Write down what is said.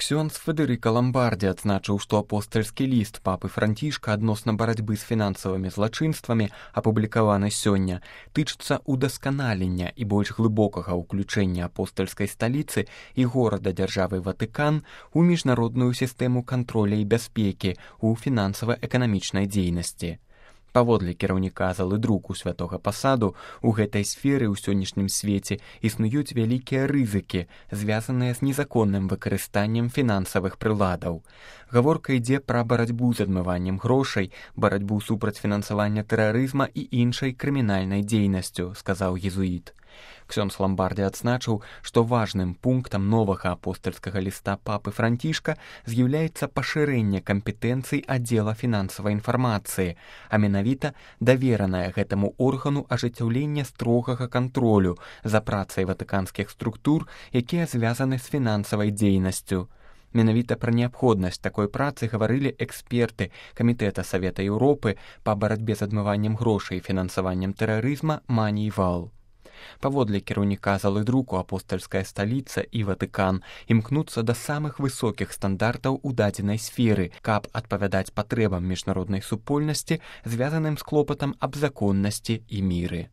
Ксёндз Федэрыка Ламбардзі адзначыў, што апостальскі ліст папы Францішка адносна барацьбы з фінансавымі злачынствамі, апублікаваны сёння, тычыцца ўдасканалення і больш глыбокага ўключэння апостальскай сталіцы і горада дзяржавы Ватыкан у міжнародную сістэму кантроля і бяспекі ў фінансава-эканамічнай дзейнасці. Паводле кіраўніка залы друку святога пасаду, у гэтай сферы ў сённяшнім свеце існуюць вялікія рызыкі, звязаныя з незаконным выкарыстаннем фінансавых прыладаў. Гаворка ідзе пра барацьбу з адмываннем грошай, барацьбу супраць фінансавання тэрарызма і іншай крымінальнай дзейнасцю, сказаў езуіт. Ксёндз Ламбардзі адзначыў, што важным пунктам новага апостальскага ліста папы Францішка з'яўляецца пашырэнне кампетэнцый аддзела фінансавай інфармацыі, а менавіта даверанае гэтаму органу ажыццяўлення строгага кантролю за працай ватыканскіх структур, якія звязаны з фінансавай дзейнасцю. Менавіта пра неабходнасць такой працы гаварылі эксперты Камітэта Савета Еўропы па барацьбе з адмываннем грошай і фінансаваннем тэрарызма Маніі Вал. Паводле кіраўніка залы друку апостальская сталіца і Ватыкан імкнуцца да самых высокіх стандартаў у дадзенай сферы, каб адпавядаць патрэбам міжнароднай супольнасці, звязаным з клопатам аб законнасці і міры.